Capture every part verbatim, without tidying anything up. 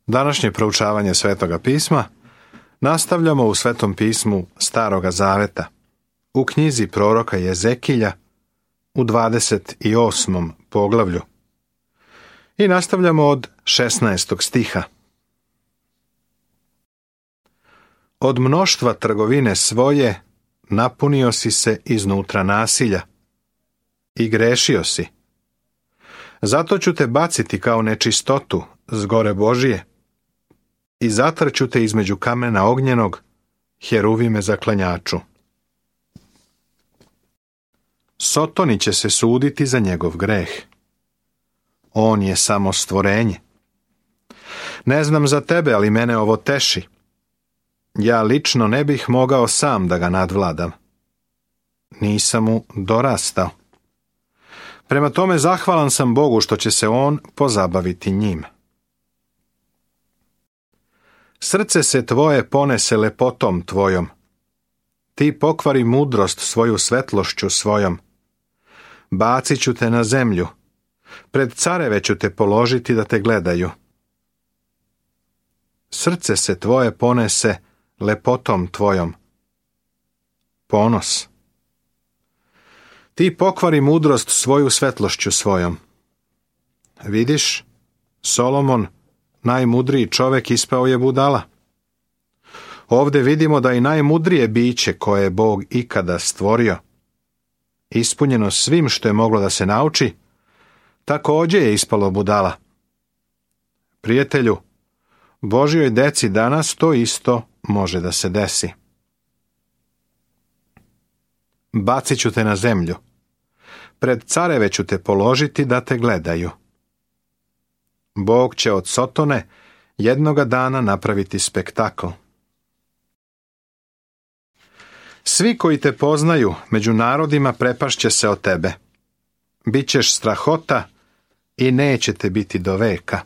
Današnje proučavanje Svetoga pisma nastavljamo u Svetom pismu Staroga zaveta, u knjizi proroka Jezekilja, u dvadeset osmom poglavlju. I nastavljamo od šesnaestog stiha. Od mnoštva trgovine svoje napunio si se iznutra nasilja i grešio si. Zato ću te baciti kao nečistotu s gore Božije i zatrću te između kamena ognjenog, heruvime zaklanjaču. Sotoni će se suditi za njegov greh. On je samo stvorenje. Ne znam za tebe, ali mene ovo teši. Ja lično ne bih mogao sam da ga nadvladam. Nisam mu dorastao. Prema tome zahvalan sam Bogu što će se on pozabaviti njim. Srce se tvoje ponese lepotom tvojom. Ti pokvari mudrost svoju svetlošću svojom. Bacit ću te na zemlju. Pred careve ću te položiti da te gledaju. Srce se tvoje ponese lepotom tvojom. Ponos. Ti pokvari mudrost svoju svetlošću svojom. Vidiš, Solomon, najmudriji čovjek, ispao je budala. Ovdje vidimo da i najmudrije biće koje je Bog ikada stvorio, ispunjeno svim što je moglo da se nauči, također je ispalo budala. Prijatelju, Božjoj deci danas to isto može da se desi. Bacit ću te na zemlju. Pred careve ću te položiti da te gledaju. Bog će od Sotone jednoga dana napraviti spektakl. Svi koji te poznaju među narodima prepašće se od tebe. Bićeš strahota i neće te biti do veka.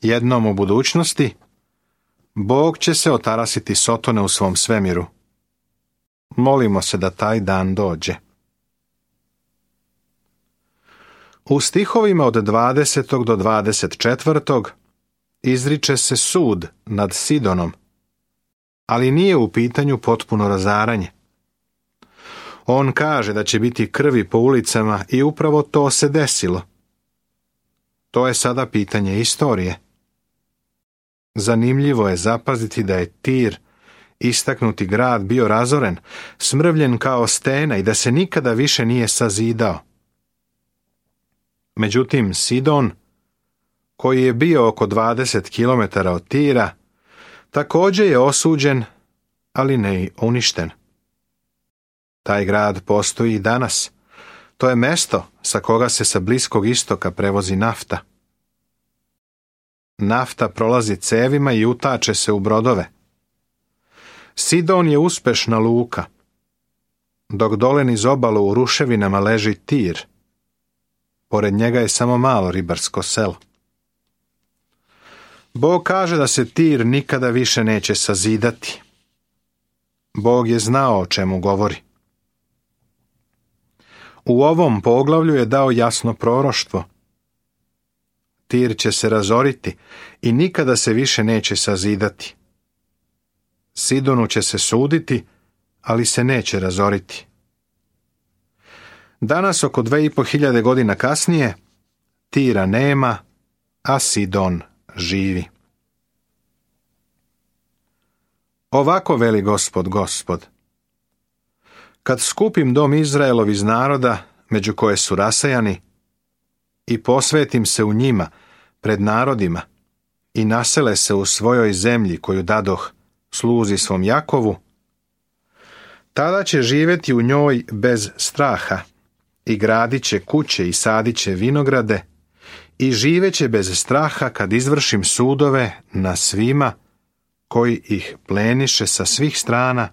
Jednom u budućnosti Bog će se otarasiti Sotone u svom svemiru. Molimo se da taj dan dođe. U stihovima od dvadesetog do dvadeset četvrtog izriče se sud nad Sidonom, ali nije u pitanju potpuno razaranje. On kaže da će biti krvi po ulicama i upravo to se desilo. To je sada pitanje istorije. Zanimljivo je zapaziti da je Tir, istaknuti grad, bio razoren, smrvljen kao stena i da se nikada više nije sazidao. Međutim, Sidon, koji je bio oko dvadeset kilometara od Tira, također je osuđen, ali ne i uništen. Taj grad postoji i danas. To je mesto sa koga se sa Bliskog istoka prevozi nafta. Nafta prolazi cevima i utače se u brodove. Sidon je uspešna luka, dok dole niz obalu u ruševinama leži Tir. Pored njega je samo malo ribarsko selo. Bog kaže da se Tir nikada više neće sazidati. Bog je znao o čemu govori. U ovom poglavlju je dao jasno proroštvo. Tir će se razoriti i nikada se više neće sazidati. Sidonu će se suditi, ali se neće razoriti. Danas, oko dve i po hiljade godina kasnije, Tira nema, a Sidon živi. Ovako veli Gospod, Gospod. Kad skupim dom Izraelov iz naroda, među koje su rasejani, i posvetim se u njima, pred narodima, i nasele se u svojoj zemlji koju dadoh sluzi svom Jakovu, tada će živjeti u njoj bez straha i gradit će kuće i sadit će vinograde i živeće bez straha kad izvršim sudove na svima koji ih pleniše sa svih strana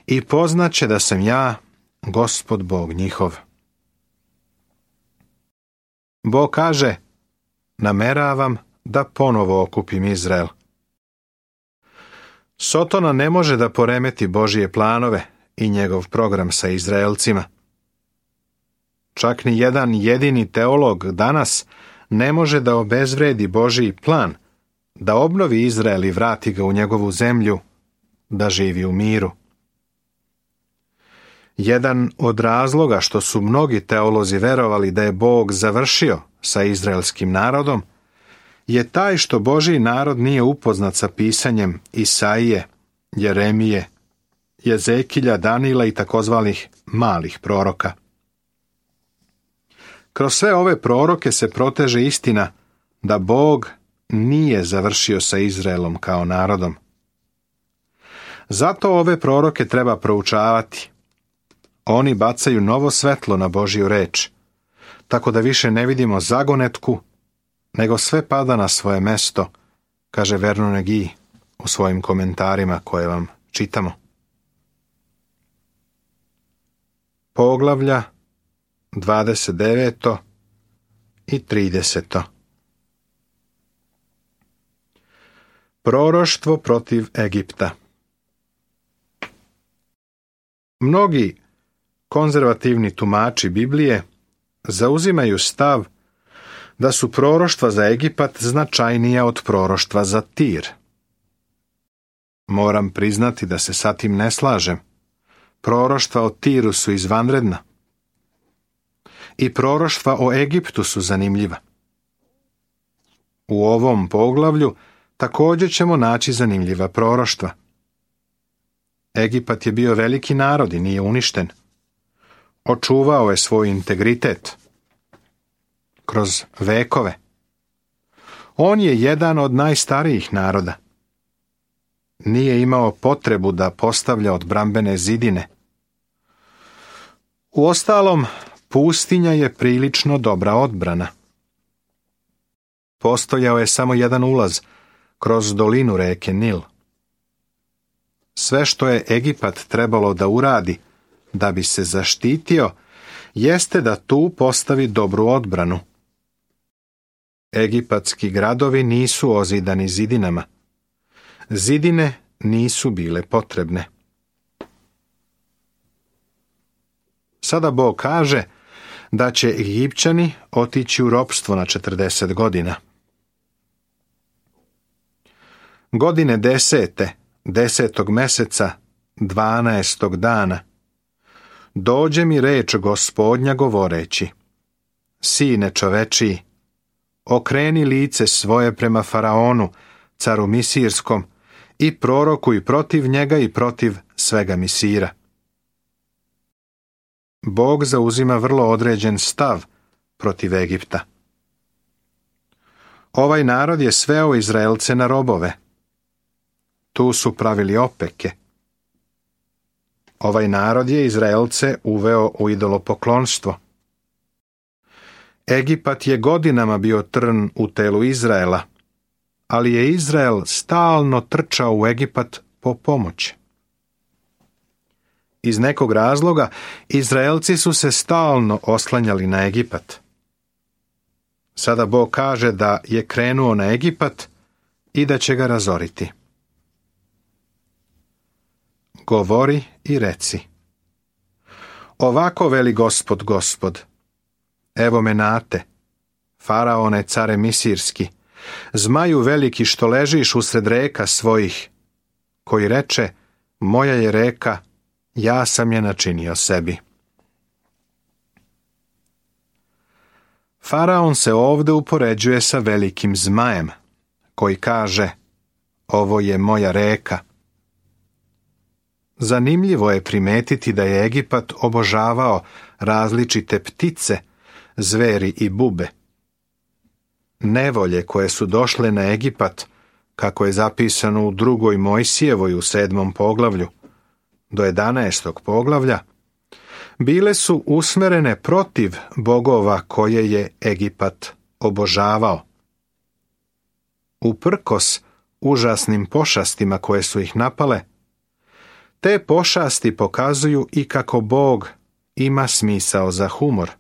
i poznaće da sam ja, Gospod Bog njihov. Bog kaže, nameravam da ponovo okupim Izrael. Sotona ne može da poremeti Božije planove i njegov program sa Izraelcima. Čak ni jedan jedini teolog danas ne može da obezvredi Božji plan da obnovi Izrael i vrati ga u njegovu zemlju, da živi u miru. Jedan od razloga što su mnogi teolozi verovali da je Bog završio sa izraelskim narodom je taj što Božji narod nije upoznat sa pisanjem Isaije, Jeremije, Jezekilja, Danila i takozvanih malih proroka. Kroz sve ove proroke se proteže istina da Bog nije završio sa Izraelom kao narodom. Zato ove proroke treba proučavati. Oni bacaju novo svetlo na Božju reč, tako da više ne vidimo zagonetku, nego sve pada na svoje mesto, kaže Vernon Egi u svojim komentarima koje vam čitamo. Poglavlja dvadeset devet i trideset. Proroštvo protiv Egipta. Mnogi konzervativni tumači Biblije zauzimaju stav da su proroštva za Egipat značajnija od proroštva za Tir. Moram priznati da se sa tim ne slažem. Proroštva o Tiru su izvanredna. I proroštva o Egiptu su zanimljiva. U ovom poglavlju također ćemo naći zanimljiva proroštva. Egipat je bio veliki narod i nije uništen. Očuvao je svoj integritet kroz vekove. On je jedan od najstarijih naroda. Nije imao potrebu da postavlja odbrambene zidine. Uostalom, pustinja je prilično dobra odbrana. Postojao je samo jedan ulaz kroz dolinu reke Nil. Sve što je Egipat trebalo da uradi da bi se zaštitio, jeste da tu postavi dobru odbranu. Egipatski gradovi nisu ozidani zidinama. Zidine nisu bile potrebne. Sada Bog kaže da će Egipćani otići u ropstvo na četrdeset godina. Godine desete, desetog meseca, dvanaestog dana, dođe mi reč Gospodnja govoreći: Sine čovečiji, okreni lice svoje prema Faraonu, caru Misirskom, i prorokuj protiv njega i protiv svega Misira. Bog zauzima vrlo određen stav protiv Egipta. Ovaj narod je sveo Izraelce na robove. Tu su pravili opeke. Ovaj narod je Izraelce uveo u idolopoklonstvo. Egipat je godinama bio trn u telu Izraela, ali je Izrael stalno trčao u Egipat po pomoć. Iz nekog razloga Izraelci su se stalno oslanjali na Egipat. Sada Bog kaže da je krenuo na Egipat i da će ga razoriti. Govori i reci: Ovako veli Gospod, Gospod, evo me nate, Faraone, care Misirski, zmaju veliki što ležiš usred reka svojih, koji reče: moja je reka, ja sam je načinio sebi. Faraon se ovdje upoređuje sa velikim zmajem, koji kaže: ovo je moja reka. Zanimljivo je primetiti da je Egipat obožavao različite ptice, zveri i bube. Nevolje koje su došle na Egipat, kako je zapisano u drugoj Mojsijevoj u sedmom poglavlju, do jedanaestog poglavlja, bile su usmerene protiv bogova koje je Egipat obožavao. Uprkos užasnim pošastima koje su ih napale, te pošasti pokazuju i kako Bog ima smisao za humor.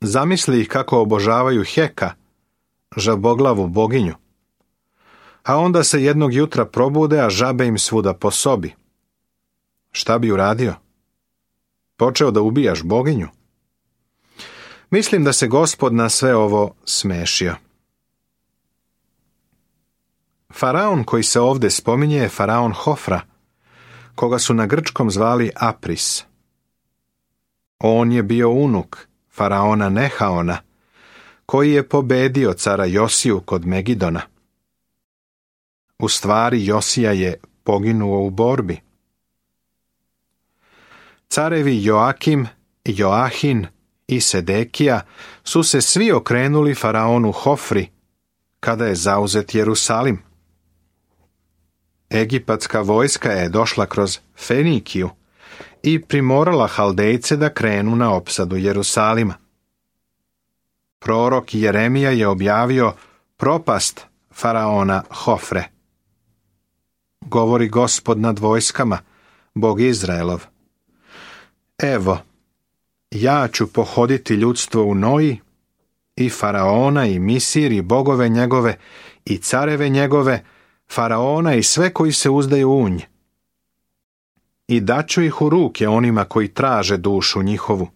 Zamisli ih kako obožavaju Heka, žaboglavu boginju, a onda se jednog jutra probude, a žabe im svuda po sobi. Šta bi uradio? Počeo da ubijaš boginju? Mislim da se Gospod na sve ovo smešio. Faraon koji se ovdje spominje je faraon Hofra, koga su na grčkom zvali Apris. On je bio unuk faraona Nehaona, koji je pobedio cara Josiju kod Megidona. U stvari Josija je poginuo u borbi. Carevi Joakim, Joahin i Sedekija su se svi okrenuli faraonu Hofri kada je zauzet Jerusalim. Egipatska vojska je došla kroz Fenikiju i primorala Haldejce da krenu na opsadu Jerusalima. Prorok Jeremija je objavio propast faraona Hofre. Govori Gospod nad vojskama, Bog Izraelov. Evo, ja ću pohoditi ljudstvo u Noji, i faraona i Misir i bogove njegove i careve njegove, faraona i sve koji se uzdaju u nj. I daću ih u ruke onima koji traže dušu njihovu.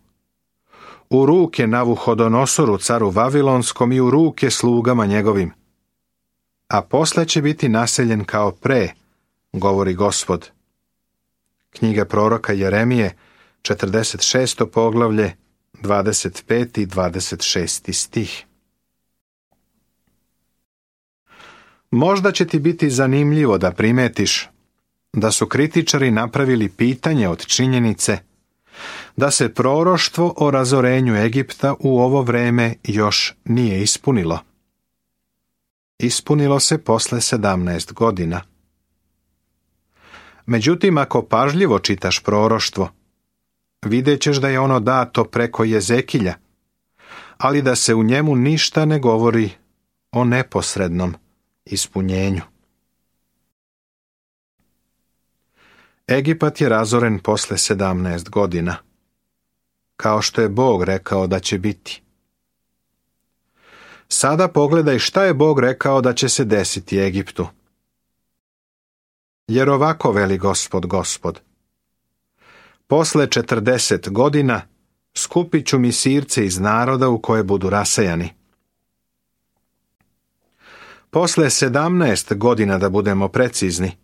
U ruke Navuhodonosoru, caru Vavilonskom, i u ruke slugama njegovim. A posle će biti naseljen kao pre, govori Gospod. Knjiga proroka Jeremije, četrdeset šesto poglavlje, dvadeset peti i dvadeset šesti stih. Možda će ti biti zanimljivo da primetiš da su kritičari napravili pitanje od činjenice da se proroštvo o razorenju Egipta u ovo vreme još nije ispunilo. Ispunilo se posle sedamnaest godina. Međutim, ako pažljivo čitaš proroštvo, vidjet ćeš da je ono dato preko Jezekilja, ali da se u njemu ništa ne govori o neposrednom ispunjenju. Egipat je razoren posle sedamnaest godina, kao što je Bog rekao da će biti. Sada pogledaj šta je Bog rekao da će se desiti Egiptu. Jer ovako veli Gospod, Gospod. Posle četrdeset godina skupit ću Misirce iz naroda u koje budu rasejani. Posle sedamnaest godina, da budemo precizni,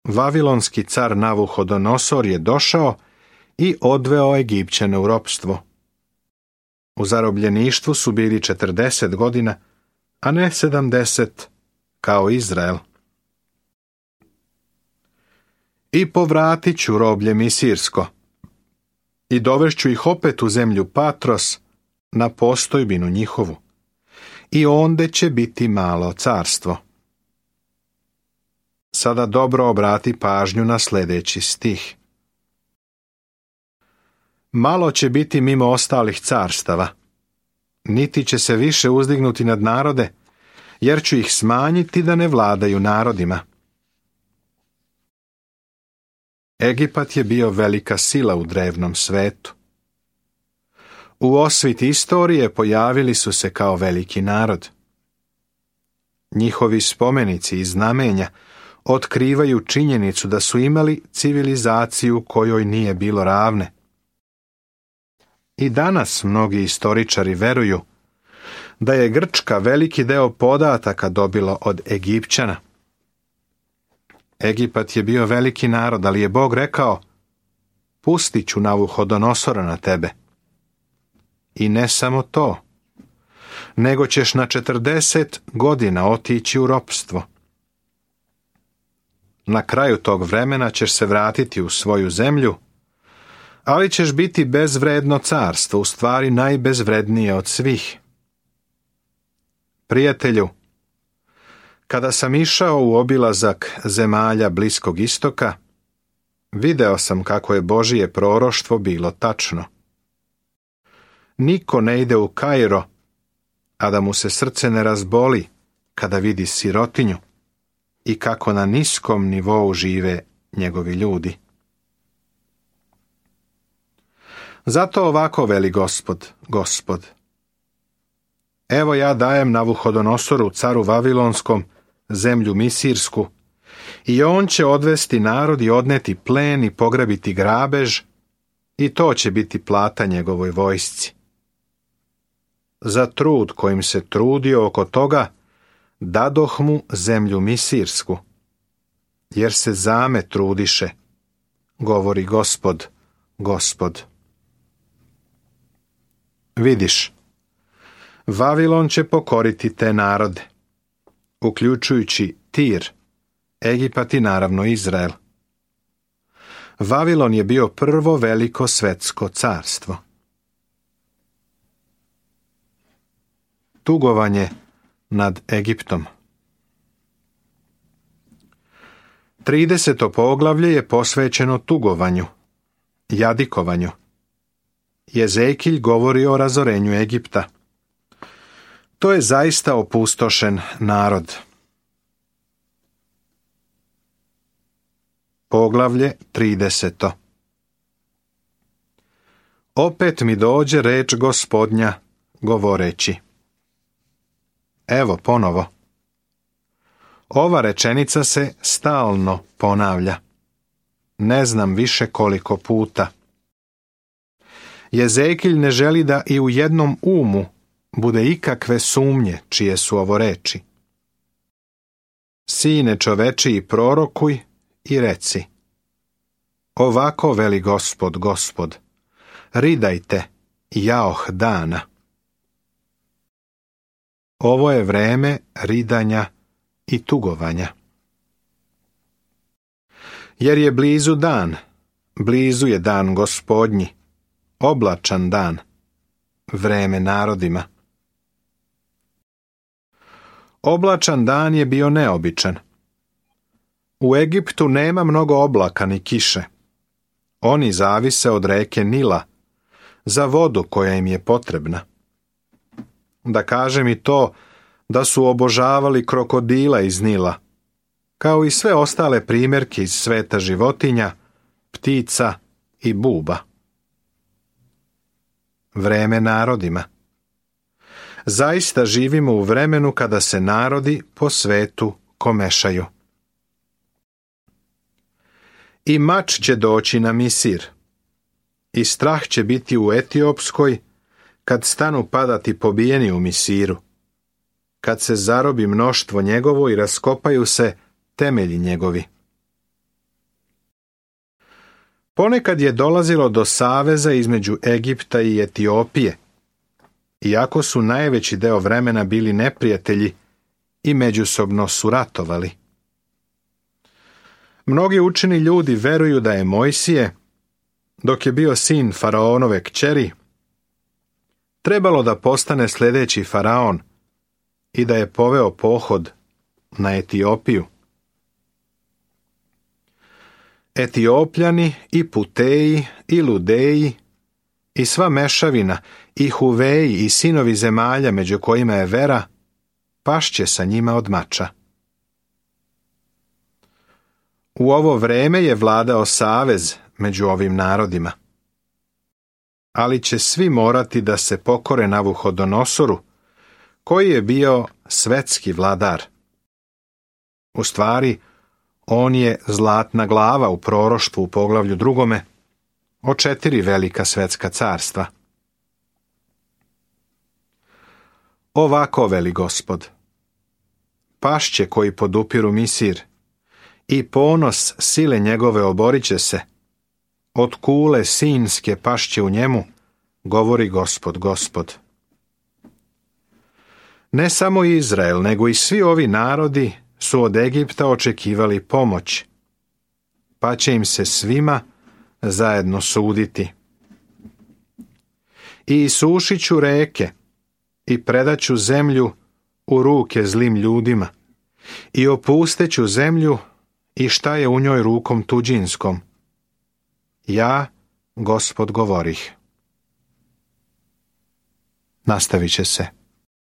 Vavilonski car Navuhodonosor je došao i odveo Egipćane u ropstvo. U zarobljeništvu su bili četrdeset godina, a ne sedamdeset, kao Izrael. I povratit ću roblje Misirsko, i dovešću ih opet u zemlju Patros, na postojbinu njihovu, i onde će biti malo carstvo. Sada dobro obrati pažnju na sljedeći stih. Malo će biti mimo ostalih carstava, niti će se više uzdignuti nad narode, jer ću ih smanjiti da ne vladaju narodima. Egipat je bio velika sila u drevnom svetu. U osvit istorije pojavili su se kao veliki narod. Njihovi spomenici i znamenja otkrivaju činjenicu da su imali civilizaciju kojoj nije bilo ravne. I danas mnogi istoričari veruju da je Grčka veliki deo podataka dobilo od Egipćana. Egipat je bio veliki narod, ali je Bog rekao: pustit ću Navuhodonosora na tebe. I ne samo to, nego ćeš na četrdeset godina otići u ropstvo. Na kraju tog vremena ćeš se vratiti u svoju zemlju, ali ćeš biti bezvredno carstvo, u stvari najbezvrednije od svih. Prijatelju, kada sam išao u obilazak zemalja Bliskog istoka, video sam kako je Božije proroštvo bilo tačno. Niko ne ide u Kairo, a da mu se srce ne razboli kada vidi sirotinju i kako na niskom nivou žive njegovi ljudi. Zato ovako veli Gospod, Gospod. Evo ja dajem Navuhodonosoru, caru Vavilonskom, zemlju Misirsku, i on će odvesti narod i odneti plen i pograbiti grabež, i to će biti plata njegovoj vojsci. za trud kojim se trudio oko toga, dadoh mu zemlju misirsku, jer se zame trudiše, govori Gospod, Gospod. Vidiš, Vavilon će pokoriti te narode, uključujući Tir, Egipat i naravno Izrael. Vavilon je bio prvo veliko svetsko carstvo. Tugovanje nad Egiptom. trideseto poglavlje je posvećeno tugovanju, jadikovanju. Jezekilj govori o razorenju Egipta. To je zaista opustošen narod. Poglavlje trideseto. Opet mi dođe reč Gospodnja, govoreći. Evo ponovo. Ova rečenica se stalno ponavlja. Ne znam više koliko puta. Jezekilj ne želi da i u jednom umu bude ikakve sumnje čije su ovo reči. Sine čovečiji, prorokuj i reci. Ovako veli Gospod, Gospod, ridajte, jaoh dana. Ovo je vreme ridanja i tugovanja. Jer je blizu dan, blizu je dan Gospodnji, oblačan dan, vreme narodima. Oblačan dan je bio neobičan. U Egiptu nema mnogo oblaka ni kiše. Oni zavise od reke Nila, za vodu koja im je potrebna. Da kažem i to da su obožavali krokodila iz Nila, kao i sve ostale primjerke iz sveta životinja, ptica i buba. Vreme narodima. Zaista živimo u vremenu kada se narodi po svetu komešaju. I mač će doći na Misir, i strah će biti u Etiopskoj, kad stanu padati pobijeni u Misiru, kad se zarobi mnoštvo njegovo i raskopaju se temelji njegovi. Ponekad je dolazilo do saveza između Egipta i Etiopije, iako su najveći deo vremena bili neprijatelji i međusobno su ratovali. Mnogi učeni ljudi veruju da je Mojsije, dok je bio sin faraonove kćeri, trebalo da postane sljedeći faraon i da je poveo pohod na Etiopiju. Etiopljani i Puteji i Ludeji i sva mešavina i Huveji i sinovi zemalja među kojima je Vera, pašće sa njima od mača. U ovo vreme je vladao savez među ovim narodima. Ali će svi morati da se pokore Navuhodonosoru, koji je bio svetski vladar. U stvari, on je zlatna glava u proroštvu u poglavlju drugome o četiri velika svetska carstva. Ovako veli Gospod. Pašće koji podupiru Misir i ponos sile njegove oborit će se. Od kule sinske pašće u njemu, govori Gospod, Gospod. Ne samo Izrael, nego i svi ovi narodi su od Egipta očekivali pomoć, pa će im se svima zajedno suditi. I isušit ću reke i predaću zemlju u ruke zlim ljudima i opusteću zemlju i šta je u njoj rukom tuđinskom. Ja, Gospod, govorih. Nastavit će se.